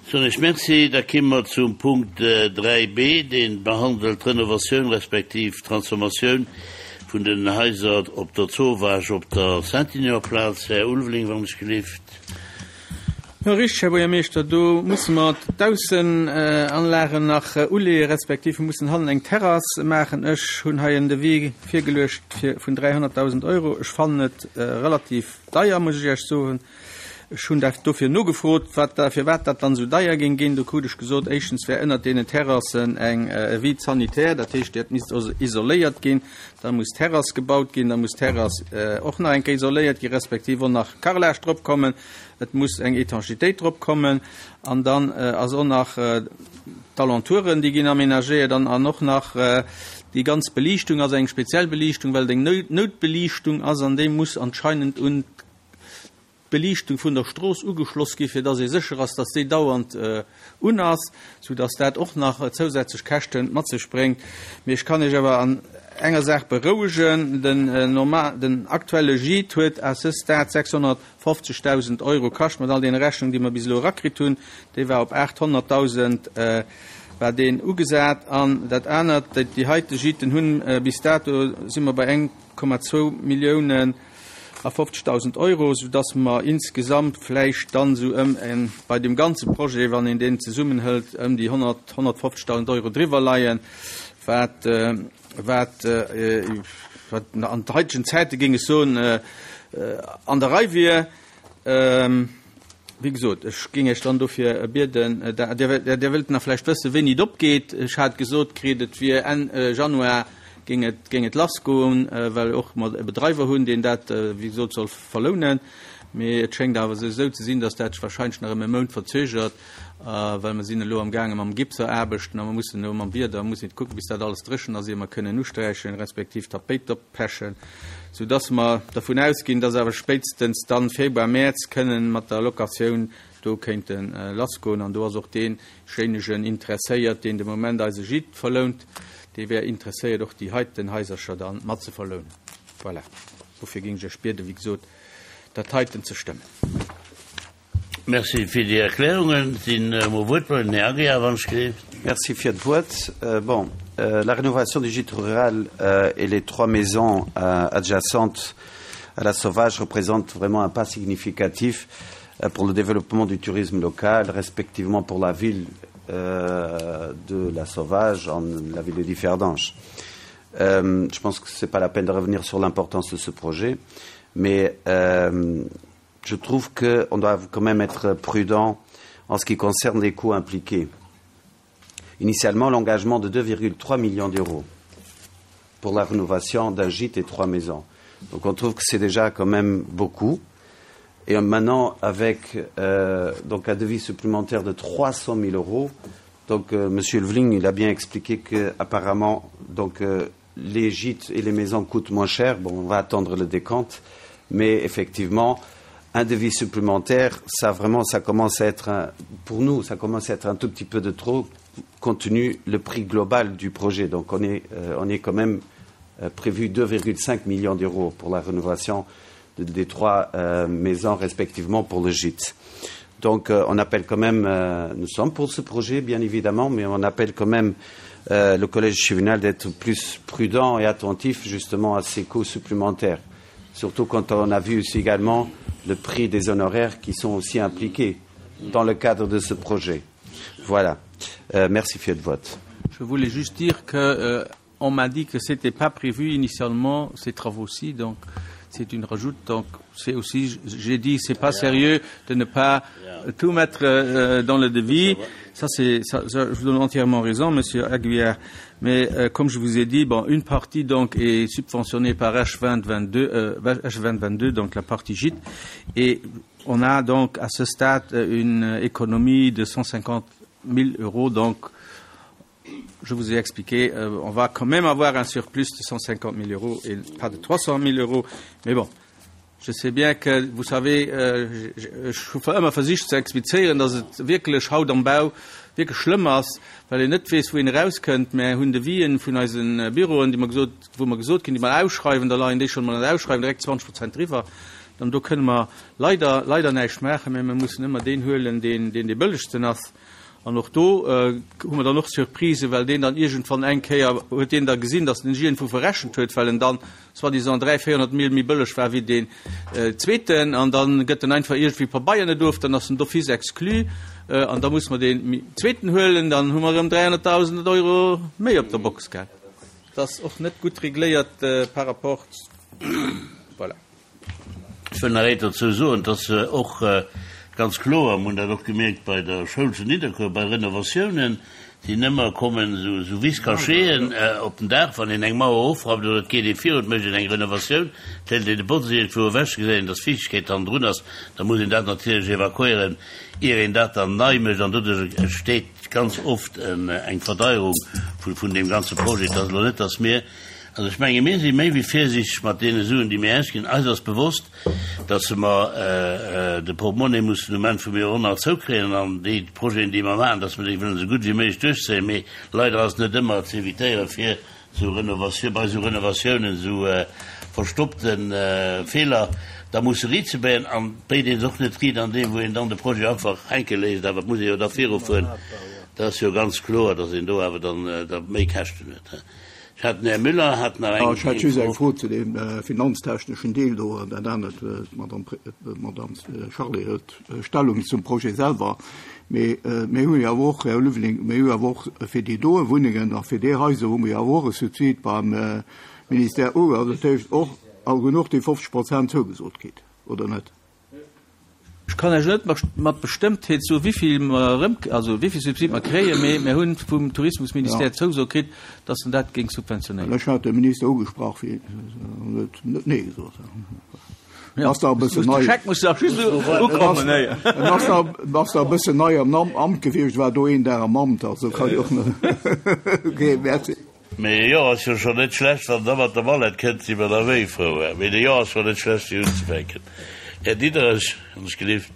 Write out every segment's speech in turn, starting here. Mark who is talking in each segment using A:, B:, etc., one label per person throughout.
A: Soen ech Merci. Da kimme mer zum Punkt 3 b, dee behandelt d'Renovatioun respektiv d'Transformatioun vun den Haiser op der Zowaasch op der Saint-Ignon-Plaz. Här Ulveling, wann ech gelift.
B: Jo, richteg, Här Buergermeeschter, do musse mer d'Aussenanlagen nach uleeën, respektiv mir mussen hannen eng Terrass maachen. Ech hunn hei en Devis virgeluecht fir vun 300.000 Euro. Ech fannen et relativ deier, muss ech Iech soen. Ech hunn dat dofir nogefrot, wat da, firwat dat dann esou deier géing ginn. Do krut ech gesot, éischtens wär ënnert deenen Terrassen eng, e Vide sanitaire, dat heescht, dat misst also isoléiert ginn. Da muss d'Terrass gebaut ginn, da muss d'Terrass och nach eng Kéier isoléiert ginn, respektiv och nach Carrelage drop kommen. Et muss eng Étanchéitéit drop kommen. An dann ass och nach d'Alentouren, déi ginn aménagéiert an, an och nach déi ganz Beliichtung ass eng speziell Beliichtung, well et eng Noutbeliichtung ass an déi muss anscheinend un d'Beliichtung vun der Strooss ugeschloss gi fir dass ee sécher ass, dass déi dauernd un ass, sou dass dat och nach zousätzlech Käschte mat sech bréngt. Mee ech kann Iech awer an enger Saach berouegen, Den normal, den aktuelle Gîte huet à ce stade 650.000 Euro kascht, mat all deene Rechnungen, déi mer bis elo erakritt hunn. Dee war op 800.000 war deen ugesat. An dat anert, déi heite Gîten hunn bis dato, si mer bei 1,2 Milliounen, a 50.000 Euro, soudass mer insgesamt vläicht dann esou ëm en, bei deem ganze Projet, wann een deen zesummenhëlt, ëm déi 100, 150.000 Euro driwwer leien, wat, wat, wat an heitegen Zäite géing ech soen, an der Rei wier. Wéi gesot, ech géing Iech dann dofir bieden, Dir, Dir wëllt nach vläicht wëssen, wéini et opgeet. Ech hat gesot kritt, et wier Enn Januar géing et, géing et lassgoen, well och mer e Bedreiwer hunn, deen dat, wéi gesot, soll verlounen. Mee et schéngt awer esou ze sinn, datt dat sech wahrscheinlech nach ëm e Mount verzögert, well mer sinn elo amgaange mam Gipseraarbechten a mer mussen elo mam Wieder, mussen kucken, bis dat alles dréchen ass, ier mer kënnen usträichen, respektiv d'Tapéit oppechen. sou dass mer dervun ausginn, dass awer spéitstens dann Februar, Mäerz kënnen mat der Locatioun do kéinte lassgoen. An do ass och deejéinegen interesséiert, deen de Moment eise Gîte verlount, dee wär interesséiert och déi heiten Haisercher da mat ze verlounen. Voilà, dofir géing ech Iech bieden, wéi gesot, dat heiten ze stëmmen.
A: Merci fir déi Erklärungen. Sinn emol Wuertmeldungen. Här Aguiar, wann ech gleef.
C: Merci fir d'Wuert. Bon, la rénovation du gîte rural et les trois maisons adjacentes à la Sauvage représentent vraiment un pas significatif pour le développement du tourisme local, respectivement pour la ville de la Sauvage en la ville de Differdange. Je pense que ce n'est pas la peine de revenir sur l'importance de ce projet, mais je trouve qu'on doit quand même être prudent en ce qui concerne les coûts impliqués. Initialement, l'engagement de 2,3 millions d'euros pour la rénovation d'un gîte et trois maisons. Donc on trouve que c'est déjà quand même beaucoup. Et maintenant, avec euh, donc un devis supplémentaire de 300 000 euros, donc euh, Monsieur Levling, il a bien expliqué que apparemment, donc euh, les gîtes et les maisons coûtent moins cher. Bon, on va attendre le décompte, mais effectivement, un devis supplémentaire, ça vraiment, ça commence à être un, pour nous, ça commence à être un tout petit peu de trop compte tenu le prix global du projet. Donc on est, euh, on est quand même euh, prévu 2,5 millions d'euros pour la rénovation de, des trois euh, maisons respectivement pour le gîte. Donc euh, on appelle quand même, euh, nous sommes pour ce projet bien évidemment, mais on appelle quand même euh, le collège juvénal d'être plus prudent et attentif justement à ces coûts supplémentaires. Surtout quand on a vu aussi également le prix des honoraires qui sont aussi impliqués dans le cadre de ce projet. Voilà. Euh, merci Fiat vote.
B: Je voulais juste dire que euh, on m'a dit que ce n'était pas prévu initialement ces travaux-ci, donc c'est une rajoute. Donc c'est aussi, j'ai dit, c'est pas sérieux de ne pas tout mettre euh, dans le devis. Ça, c'est, ça, ça, je vous donne entièrement raison, Monsieur Aguillard. Mais euh, comme je vous ai dit, bon, une partie donc est subventionnée par H2022, euh, H2022, donc la partie gîte, et on a donc à ce stade une économie de 150 000 euros, donc je vous ai expliqué, euh, on va quand même avoir un surplus de 150 000 euros et pas de 300 000 euros. Mais bon, je sais bien que, vous savez, euh, ech hu ëmmer versicht ze explizéieren, dass et wierklech haut am Bau wierklech schlëmm ass, well een net weess, wou een erauskënnt. Mär hunn Devisen vun eise Büroen, déi mer gesot, wou mer gesot ginn, déi mer ausschreiwen, da leien déi schonn emol an der Ausschreiwung direkt 20 Prozent driwwer. An do kënne mer leider, leider näischt maachen, mä mir mussen ëmmer deen huelen, deen deen dee bëllegsten ass. An och do hu mer dann och Surprisen, well deen dann iergendwann eng Kéier huet deen da gesinn, datt en sech iergendwou verrechent huet, well en dann soi-disant 300, 400 Mille méi bëlleg war wéi deen zweeten. An da gëtt en einfach iergendwéi Pabeier net of, dann ass en d'office exclu an da muss mer deen zweeten huelen, dann hu mer erëm 300.000 Euro méi op der Box, gell. Dat ass och net gutt regléiert par rapport, voilà.
A: Ech wëll nach eent dozou soen, et ass och ganz kloer, mir hunn dat och gemierkt bei der Schoul zu Nidderkuer, bei Renovatiounen sinn ëmmer kommen esou Vice-cachéen op den Daach, wann een eng Mauer ofrappt oder et geet ee virun, et mécht een eng Renovatioun, et hëlt een de Botz iergendwou ewech, gesäit een, dass Fiichtegkeet hannendrun ass, da muss een dat natierlech evakuéieren, ier een dat dann nei mécht an doduerch entsteet ganz oft eng Verdeierung vun deem ganze Projet. Et ass elo net, dass mir Also ech menge mir si méi wéi virsiichteg mat deene Suen, déi mir ausginn. Eis ass bewosst, datt mer de Portemonnaie mussen um Enn vum Joerhonnert zoukréien an déi Projeten, déi mer maachen, datt mer déi wëllen esou gutt wéi méiglech duerchzéien. Mee leider ass et net ëmmer ze évitéieren, fir esou Renovatioun, bei esou Renovatiounen esou verstoppte Feeler da musse riitzebéien. An et béit ee se och net riit an deem, wou een dann de Projet einfach hänke léisst. Awer et muss ee jo da virufueren. Dat ass jo ganz kloer, datt een do awer dann da méi Käschten huet. Ech hat den Här Müller hat nach eng
D: Ech hätt just eng Fro zu deem finanztechneschen Deel do an dat anert, d'Madame Charlé hëlt Stellung zum Projet selwer. Mee mir hu jo awer och, Här Ulveling, mir hu jo awer och fir déi doe Wunnengen a fir déi Haiser hu mir jo awer och e Subsid beim Ministère ugeholl. Dat heescht och, a hunn och déi 50 Prozent zougesot kritt, oder net?
B: Ech kann Iech net mat Bestëmmtheet soen, wéivill mer erëm, also wéivill Subsid mer kréien, mee mir hunn vum Tourismusministère d'Zouso kritt, datt en dat géing subventionéieren.
D: Ech hat de Minister ugesprach, fir en huet net Nee gesot. En ass nach e bëssen nei.
B: De Scheck muss nach just ukommen.
D: En ass nach, ass nach e bëssen nei am Amt gewiescht, war do een Dag am Amt, also kann jo och net. Okay, merci.
A: Mee e Jo ass jo schon net schlecht, wann der mat der Mallette kënnt, si mer da méi frou. Mee de Jo ass schon net schlecht fir unzefänken. Här Diderich, wann ech gelift.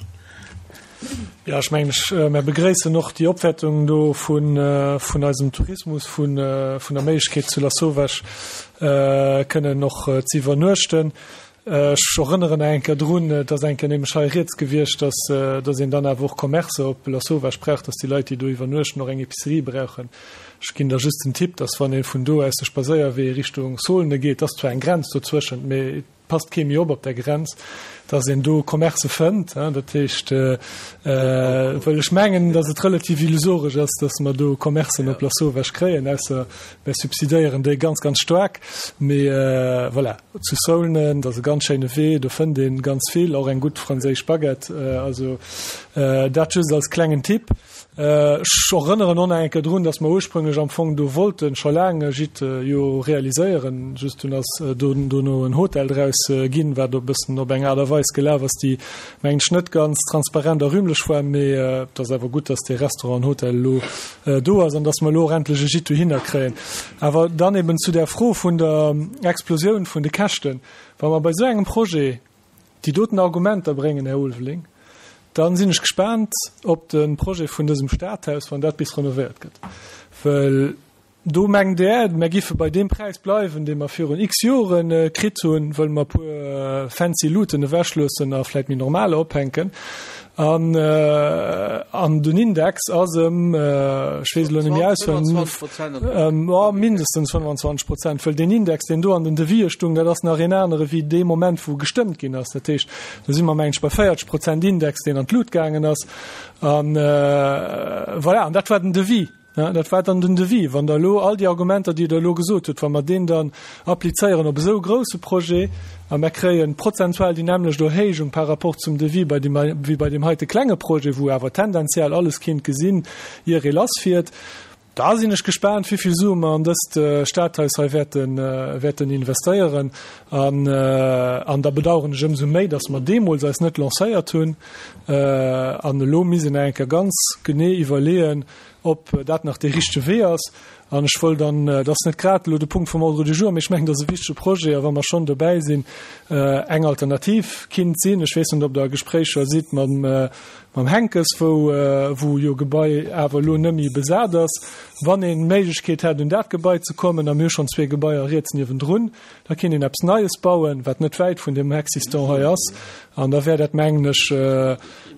E: Jo, ech mengen, ech, mär begréissen och déi Opwäertung do vun, vun eisem Tourismus, vun, vun der Méiglechkeet zu Lasauvage kënnen och ze iwwernuechten. Ech erënneren nach eng Kéier drun, et ass eng Kéier nämlech hei rieds gewiescht, dass, dass een dann awer och Commercë op Lasauvage brauch, dass déi Leit, déi do iwwernuechten, och eng Épicerie brauchen. Ech ginn da just den Tipp, dass wann ee vun do aus de Spadséierwee Richtung Saulnes geet, ass zwar eng Grenz dozwëschent, mee et passt kee méi op op där Grenz, dass een do Commercë fënnt. Dat heescht, well ech mengen, dass et relativ illusoresch ass, dass mer do Commercen op Lasauvage kréien, ausser Mär subsidéieren déi ganz, ganz staark. Mee voilà, zu Saulnes, dat ass e ganz schéine Wee, do fënnt ee ganz vill, och eng gutt franséisch Baguette. Also dat just als klengen Tipp. Ech erënneren och nach eng Kéier drun, datt mer ursprünglech am Fong do wollten scho laang e Gîte jo realiséieren. Just dunn ass dono en Hotel draus ginn, wat e bëssen op eng Aart a Weis gelaf ass, déi, mengen ech, net ganz transparent a rühmlech war. Mee et ass awer gutt, datt dee Restaurant an Hotel elo do ass an dass mer elo och endlech e Gîte dohinner kréien. Awer dann eben zu där Fro vun der Explosioun vun de Käschten. Wa mer bei esou engem Projet déi doten Argumenter bréngen, Här Ulveling, da sinn ech gespaant op de Projet vun dësem Stadhaus, wann dat bis renovéiert gëtt. Well Do mengt Der, mär giffe bei deem Präis bleiwen, dee mer virun x Jore kritt hunn, wëll mer e puer fancy Luuten ewechloossen a vläit méi normaler ophänken. An, an den Index ass ëm, ech weess elo net méi auswenneg, ëm, mindestens 25 Prozent, wëll deen Index, deen do an den Devisë stung, dat ass nach een anere wéi dee Moment, wou gestëmmt ginn ass. Dat heescht, do si mer, mengen ech, bei 40 Prozent Index, deen an d'Lut gaangen ass. An voilà, an dat war den Devis. Dat war dann den Devis. Wann Der elo all déi Argumenter, déi Der elo gesot hutt, wa mer deen dann applizéieren op esou e grouse Projet a mer kréie prozentual déi nämmlecht Erhéijung par rapport zum Devis bei deem, wéi bei deem heite klenge Projet, wou awer tendenziell alles kinnt gesinn, ier ee lassfiert, da sinn ech gespaant, wéi vill Sue mer an dëst Stadhaus hei wäerten, wäerten investéieren. An, an da bedauern ech ëmsou méi, dass mer deemools eis net lancéiert hunn an elo misst een nach eng Kéier ganz genee iwwerleeën, ob dat nach dee richtege Wee ass. An ech wollt dann, dat ass net grad elo de Punkt vum Ordre du jour, mee ech mengen, dat ass e wichtege Projet, a wa mer schonn dobäi sinn, eng Alternativ kinnt sinn, ech weess net, ob Der a Gespréicher sidd mam, mam Henckes, wou, wou jo Gebai awer elo net méi besat ass, wann een d'Méiglechkeet hätt, un dat Gebai ze kommen, a mir hu schonn zwee Gebaier riets niewendrun, Da kéint een eppes Neies bauen, wat net wäit vun deem Existant hei ass. An da wär dat, mengen ech,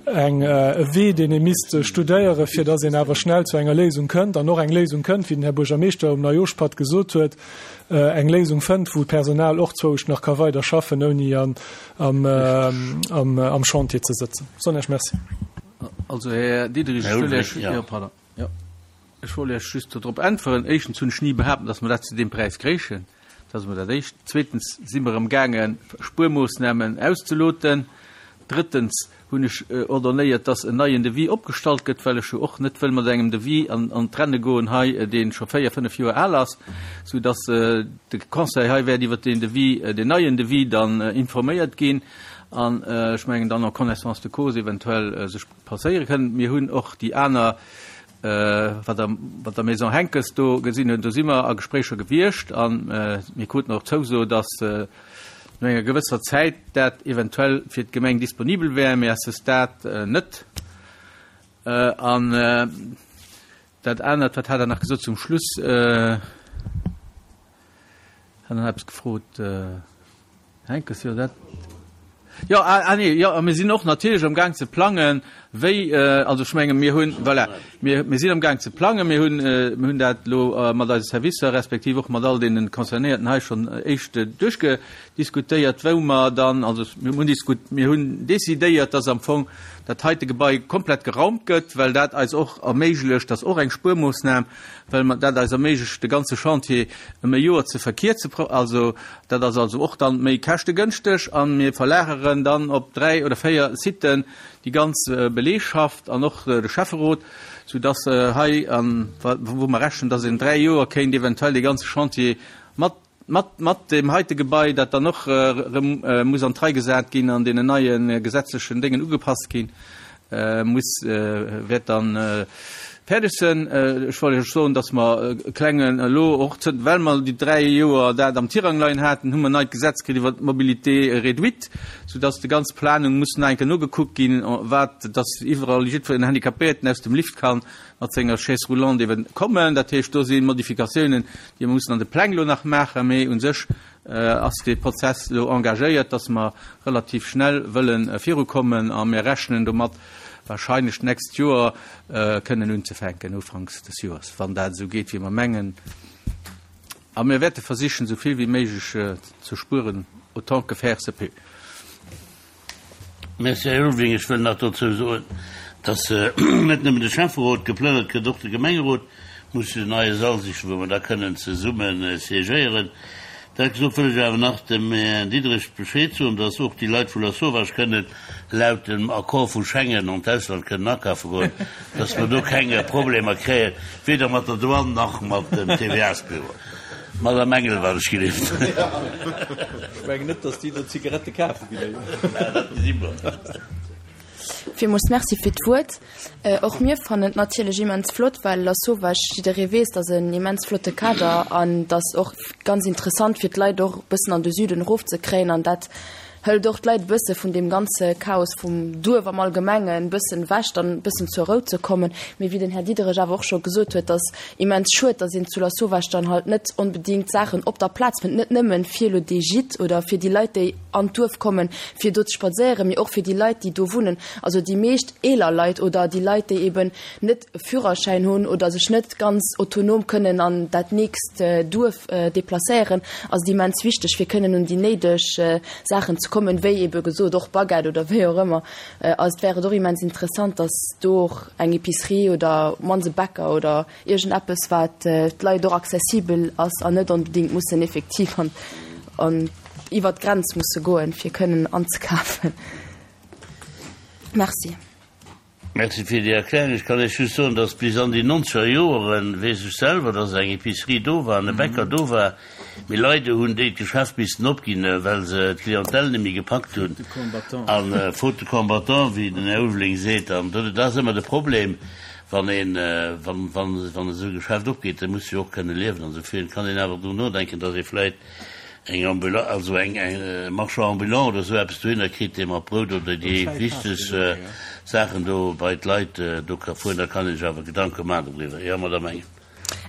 E: eng, e Wee, deen ee misst studéieren, fir dass een awer schnell zu enger Léisung kënnt an och eng Léisung kënnt, wéi den Här Buergermeeschter um Neijooschpatt gesot huet, eng Léisung fënnt, wou d'Personal och zwousch nach ka weider schaffen, ouni an, am, am, am Chantier ze sëtzen. Soen Iech Merci.
B: Also, Här Diderich, ech wëll Iech, jo, pardon, jo. Ech wollt Iech just dodrop äntweren. Éischtens hunn ech ni behaapt, dass mer dat zu deem Präis kréichen. Dat ass emol dat Éischt. Zweetens si mer amgaange Spuermoossnamen auszeloten. Drëttens hunn ech ordonnéiert, dass en neien Devis opgestallt gëtt, well ech jo och net wëll mat engem Devis an d'Renne goen hei, dee scho véier, fënnef Joer al ass, soudass de Conseil hei wäert iwwert deen Devis, deen neien Devis dann informéiert ginn an ech mengen dann en connaissance de cause eventuell sech passéiere kënnen. Mir hunn och déi aner Wat der mat der Maison Henckes do gesinn hunn, do si mer a Gespréicher gewiescht a mir kruten och d'Zouso, datt no enger gewësser Zäit dat eventuell fir d'Gemeng disponibel wär, mee à ce stade net. An dat anert, wat hat Der nach gesot zum Schluss? Hat Der nach eppes gefrot? Henckes, jo, dat. Jo, ah, ah nee, jo, a mir sinn och natierlech am Gaang ze plangen, wéi, also ech menge mir hunn, voilà, mir, mir sinn am Gaang ze plangen, mir hunn, mir hunn dat elo mat eise Servicer respektiv och mat all deene Concernéierten hei schonn éischt duerchgediskutéiert, wou mer dann, also mir hunn diskut, mir hunn decidéiert, dass am Fong dat heite Gebai komplett geraumt gëtt, well dat eis och erméiglecht, dat ass och eng Spuermoossnam, well mer dat eis erméiglecht, de ganze Chantier ëm e Joer ze verkierze, also Dat ass also och dann méi käschtegënschteg a mir verlageren dann op 3 oder 4 Siten déi ganz Beleegschaft an och de Schäfferot, soudass hei, an wou mer rechnen, dass een 3 Joer kéint eventuell dee ganze Chantier mat, mat, mat deem heite Gebai, dat dann och erëm muss an d'Rei gesat ginn an deenen neie gesetzlechen Déngen ugepasst ginn, muss, wäert dann fäerdeg sënn. Ech wollt Iech soen, dass mer e klengen elo och, well mer déi 3 Joer dat am Tirang leien haten, hu mer neit Gesetz kritt iwwert d'Mobilité réduite, soudass déi ganz Planung muss nach eng Kéier nogekuckt ginn, wat, dass iwwerall jiddwer Handicapéierten aus dem Lift kann mat senger Chaise roulante eben kommen. Dat heescht, do si Modifikatiounen, déi mer mussen an de Pläng elo nach maachen, mee u sech ass dee Prozess elo engagéiert, dass mer relativ schnell wëlle virukommen a mir rechnen domat, wahrscheinlech d'nächst Joer kënnen unzefänken, ufanks des Joers, wann dat esou geet, wéi mer mengen. A mir wäerte versichen, esou vill wéi méiglech ze spueren, autant que faire se peut.
A: Merci, Här Ulveling. Ech wëll nach dozou soen, dass net nëmmen de Schäfferot geplënnert gëtt, och de Gemengerot muss sech en neie Sall sichen, wou mer da kënnen zesumme siégéieren. Dat gesot, wëll ech awer nach dem Här Diderich Bescheed soen, dass och déi Leit vu Lasauvage kënnen laut dem Accord vu Schengen an d'Ausland kënnen akafe goen, dass mer do keng Problemer kréien, weder mat der Douane nach mat dem TVA-s-Büro. Madame Engel, wat ech gelift.
B: Ech mengen net, datt déi do Zigarette kafe ginn. Dat gesi
F: mer. Villmools Merci fir d'Wuert. Och mir fannen et natierlech immens flott, well Lasauvage, jidderee weess, dat ass en immens flotte Kader an dat ass och ganz interessant fir d'Leit och e bëssen an de Süden erofzekréien an dat hëlt och d'Leit e bësse vun deem ganze Chaos vum Duerf am Allgemengen e bëssen ewech, dann e bëssen zur Rou ze kommen. Mee wéi den Här Diderich awer och scho gesot huet, dass immens schued, dass een zu Lasauvage dann halt net onbedéngt Saachen op der Plaz fënnt, net nëmmen fir elo dee Gîte oder fir déi Leit, déi an d'Duerf kommen, fir do ze spadséieren, mee och fir déi Leit, déi do wunnen, also déi meescht eeler Leit oder déi Leit, déi eben net e Führerschäin hunn oder sech net ganz autonom kënnen an dat nächst Duerf deplacéieren, ass et immens wichteg, fir kënnen un déi néideg Saachen ze kommen, wéi ebe gesot och Baguette oder wéi och ëmmer. Also et wär et och immens interessant, datt do och eng Épicerie oder op d'mannst e Bäcker oder iergendeppes, wat d'Leit och accessibel ass an net onbedéngt mussen effektiv an an iwwert d'Grenz musse goen, fir kënnen anzekafen. Merci.
A: Merci fir déi Erklärung. Ech kann Iech just soen, dass bis an déi nonzeger Joeren, weess ech selwer, dass eng Épicerie do war an e Bäcker do war. Mee leider hunn déi d'Geschäft missten opginn, well se d'Clientèle net méi gepackt hunn. An faute de combattants, wéi den Här Ulveling seet. An dat ass ëmmer de Problem, wann een, wann, wann, wann esou e Geschäft opgeet, da muss jo och kënne liewen. An esou kann een awer drun nodenken, datt ee vläicht eng Ambula, also eng, eng Marchand ambulant oder esou eppes dohinner kritt, dee mat Brout oder déi wichteg Saachen do bei d'Leit do ka fueren. Da kann ee sech awer Gedanke maachen doriwwer. Jo, Madame Engel.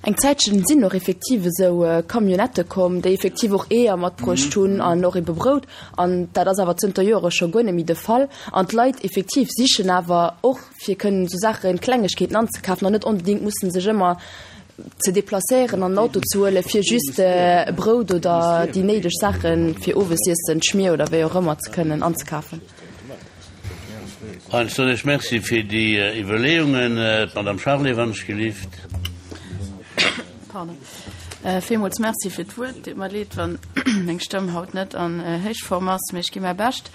F: Eng Zäitchen sinn och effektiv esou Camionnettë komm, déi effektiv och Eeër matbruecht hunn an och ebe Brout. An dat ass awer zënter Joere scho guer net méi de Fall. An d'Leit effektiv sichen awer och, fir kënnen esou Saachen, Klengegkeeten anzekafen an net onbedéngt mussen sech ëmmer ze deplacéieren an en Auto ze huelen, fir just Brout oder déi néideg Saache fir Owesiessen, d'Schmier oder wéi och ëmmer ze kënnen anzekafen.
A: Heinz soen ech Merci fir déi Iwwerleeungen. D'Madame Charlé, wann ech gelift.
G: Pardon. Villmools Merci fir d'Wuert. Deet mer leed, wann meng Stëmm haut net an Héichform ass, mee ech gi mäi Bescht.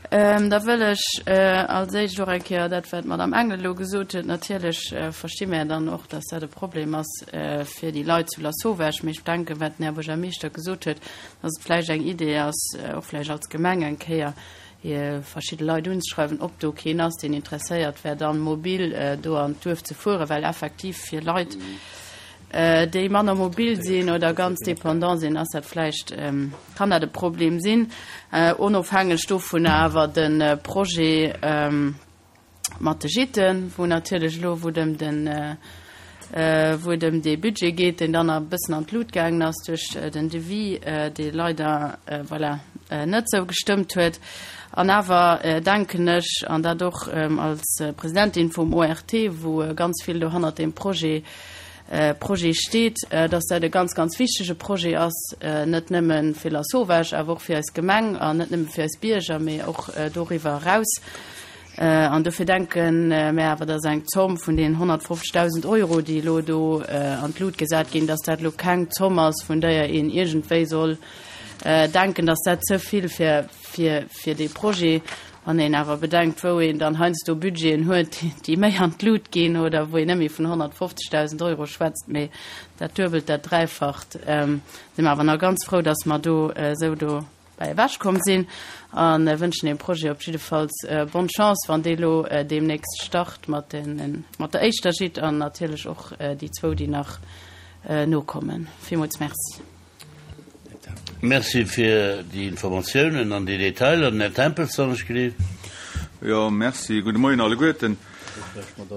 G: Da wëll ech als éischt och eng Kéier dat, wat d'Madame Engel elo gesot huet, natierlech versti mär dann och, dass dat e Problem ass fir déi Leit zu Lasauvage, mee ech denken, wat den Här Buergermeeschter gesot huet, dass et vläicht eng Idee ass, och vläicht als Gemeng eng Kéier verschidde Leit unzeschreiwen, ob do keen ass, deen interesséiert wär, dann mobil do an d'Duerf ze fueren, well effektiv fir Leit, déi manner mobil sinn oder ganz dépendant sinn, ass dat vläicht, kann dat e Problem sinn. Onofhängeg dovunner awer de Projet, mat de Gîten, wou natierlech elo, wou et ëm den, wou et ëm dee Budget geet, deen dann e bëssen an d'Lut gaangen ass duerch den Devis, dee leider, voilà, net esou gestëmmt huet. An awer denken ech, an dat och als Presidentin vum ORT, wou ganz vill do hannert deem Projet, Projet steet, dass dat e ganz, ganz wichtege Projet ass, net nëmme fir Lasauvage, awer och fir eis Gemeng an net nëmme fir eis Bierger, mee och doriwwer eraus. An dofir denke mär awer, dass eng Zomm vun deenen 150.000 Euro, déi elo do an d'Lut gesat ginn, dass dat elo keng Zomm ass, vun déier een iergendwéi soll denken, dass dat ze vill fir, fir, fir dee Projet Wann een awer bedenkt, wou een dann heiansdo Budgeten huet, déi méi an d'Lut ginn oder wou een net méi vun 150.000 Euro schwätzt, mee dat Duebelt, dat Dräifacht, si mer awer nach ganz frou, dass mer do esou dobäi ewechkomm sinn a wënschen deem Projet op jiddefalls bonne Chance, wann dee lo deemnächst start mat der éischter Gîte an natierlech och déi zwou, déi nach nokommen. Villmools Merci.
A: Merci fir déi Informatiounen an déi Detailer. Den Här Tempels, wann ech gelift.
H: Jo, merci. Gudde Moien alleguerten.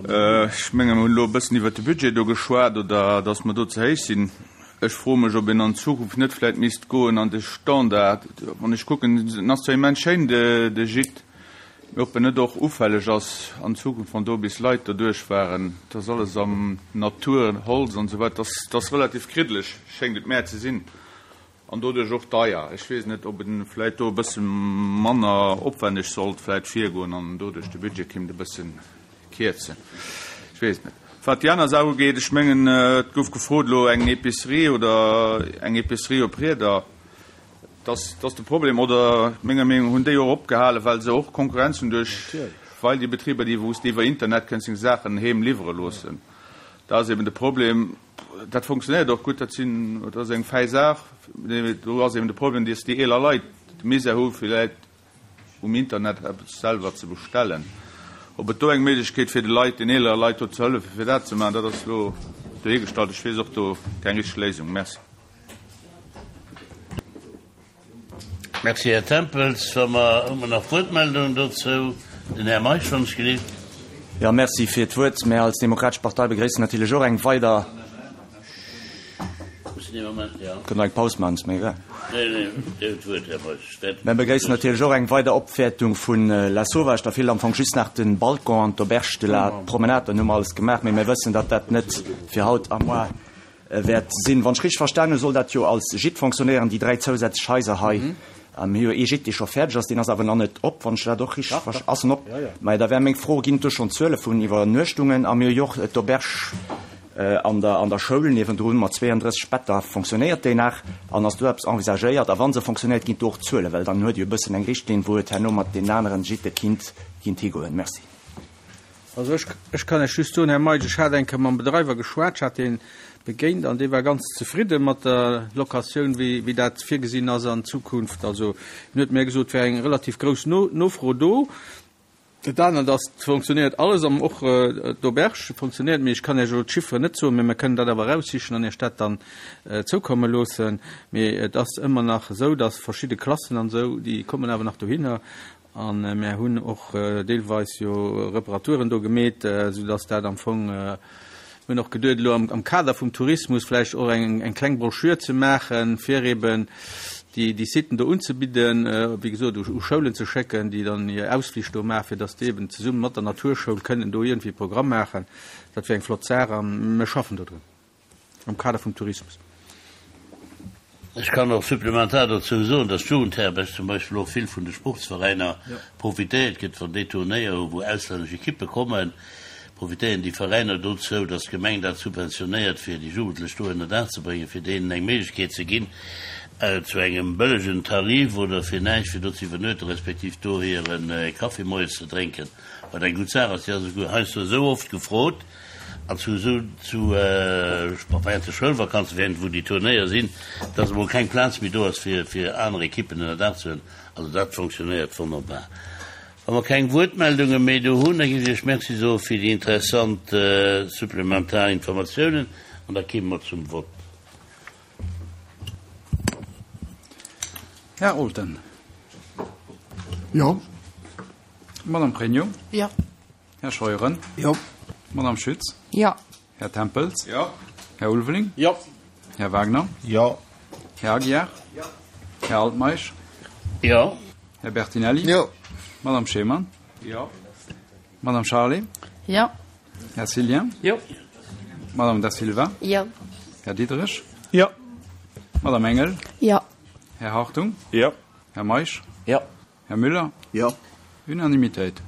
H: Ech menge mer hunn elo e bëssen iwwert de Budget do geschwat oder datt mer do ze héich sinn. Ech froe mech, ob een an Zukunft net vläicht misst goen an de Standard. Wann ech kucken, en ass zwar immens schéin, de Gîte, Mee ob en net och ufälleg ass an Zukunft, wann do bis Leit doduerch waren, et ass alles am Natur, Holz an esou weider, dat ass relativ kriddeleg, schéngt et mär ze sinn, an doduerch och deier. Ech weess net, ob en vläit do e bësse manner opwänneg sollt vläit virgoen an doduerch de Budget kéint e bësse kierzen. Ech weess et net. Wat déi aner Saach ugeet, ech mengen, et gouf gefrot elo eng Épicerie oder eng Épicerie op Rieder. Dass ass de Problem. Oder menger Meenung no hunn déi och opgehalen, well se och Konkurrenz hunn duerch, weil déi Betriber, déi wou s de iwwer Internet kënns deng Saachen heem liwwere loossen. Da ass eben de Problem, dat funktionéiert och gutt, dat sinn, dat ass eng fäi Saach, mee do ass eben de Problem, dass déi eeler Leit de Misär hu villäit um Internet eppes selwer ze bestellen. Ob et do eng Méiglechkeet fir de Leit, den eelere Leit do ze hëllefen, fir dat ze maachen, dat ass elo dohigestallt. Ech weess och do keng richteg Léisung. Merci.
A: Merci, Här Tempels. Wa mer, hu mer nach Wuertmeldungen dozou? Den Här Meisch, wann ech gelift.
I: Jo, merci fir d'Wuert. Mär als Demokratesch Partei begréissen natierlech och eng weider. Kënne mer eng Paus maachen, ass mir egal. Mär begréissen natierlech och eng weider Opwäertung vu Lasauvage. Da feelt am Fong just nach de Balcon an d'Auberge de la Promenade, dann hu mer alles gemaach. Mee mir wëssen, datt dat net fir haut a moar wäert sinn. Wann ech richteg verstanen hunn, soll dat jo als Gîte fonctionnéieren, déi 3 zousätzlech Haiser hei. Mir hu jo ee Gîte, dee scho fäerdeg ass, deen ass awer nach net op, wann ech dat och richteg verst-, ass en op? Majo, da wär meng Fro, Ginn et do schonn Zuele vun Iwwernuechtungen? A mir hu jo och d'Auberge an der, an der Schoul niewendrun mat 32 Better. Fonctionnéiert déi nach an ass do eppes envisagéiert? A wa se fonctionnéiert, ginn et do och Zuelen? Well dann huet ee jo e bëssen eng Richtlinn, wou et herno mat deenen aneren Gîte kinnt, kinnt higoen. Merci.
B: Also ech, ech kann lech just soen, Här Meisch, ech hat eng Kéier mam Bedreiwer geschwat, ech hat dee. begéint an dee war ganz zefridde mat der Locatioun, wéi wéi dat virgesinn ass an Zukunft. Also en huet mär gesot, et wär eng relativ grouss Nofro do. Dat anert ass, et fonctionnéiert alles an och d'Auberge fonctionnéiert, mee ech kann Iech elo d'Chifferen net soen, mee mer kënnen dat awer eraussichen an Iech dat dann zoukomme loossen. Mee et ass ëmmer nach esou, dass verschidde Klassen an esou, déi kommen awer nach dohinner a mär hunn och deelweis jo Reparaturen do gemeet, soudass dat am Fong, Mir hunn och geduet, elo am Kader vum Tourismus vläicht och eng kleng Broschür ze maachen, fir eben déi Siten do unzebidden, wéi gesot, u Schoulen ze schécken, déi dann hir Ausflich do maachen, fir datt déi eben zesumme mat der Naturschoul kënnen do iergendwéi e Programm maachen. Dat wier eng flott Saach a mir schaffen dodrun am Kader vum Tourismus.
A: Ech kann och supplementar dozou soen, dass d'Jugendherberg zum Beispill och vill vun de Sportsveräiner profitéiert gëtt. Wann déi Turnéier hu wou auslännesch Ekippe kommen, profitéieren déi Veräiner dozou, dass d'Gemeng dat subventionéiert fir déi Jugendlech do ënner Daach ze bréngen, fir deenen eng Méiglechkeet ze ginn zu engem bëllegen Tarif oder fir näischt fir do ze iwwernuechten, respektiv do hire Kaffi moies ze drénken, wat eng gutt Saach ass. Déi ass esouguer heiansdo esou oft gefrot. An zu esou, zu, während de Schoulvakanzen, während wou déi Turnéier sinn, dass emol keng Plaz méi do ass, fir, fir aner Ekippen ënner Daach ze huelen. Also dat fonctionnéiert wonnerbar. Wa mer keng Wuertmeldunge méi do hunn, da géif ech Iech Merci soe fir déi interessant supplementar Informatiounen an da kéime mer zum Vott.
J: Här Olten.
D: Jo.
J: Madame Pregno.
G: Jo.
J: Här Scheuren.
D: Jo.
J: Madame Schütz.
F: Jo.
J: Här Tempels.
H: Jo.
J: Här Ulveling.
H: Jo.
J: Här Wagner.
D: Jo.
J: Här Aguiar.
H: Jo.
J: Här Altmeisch.
A: Jo.
J: Här Bertinelli.
D: Jo.
J: Madame Schemann.
H: Jo.
J: Madame Charlé.
G: Jo.
J: Här Cillien.
B: Jo.
J: Madame Da Silva.
F: Jo.
J: Här Diderich.
E: Jo.
J: Madame Engel.
F: Jo.
J: Här Hartung.
H: Jo.
J: Här Meisch.
I: Jo.
J: Här Müller.
D: Jo.
J: Unanimitéit.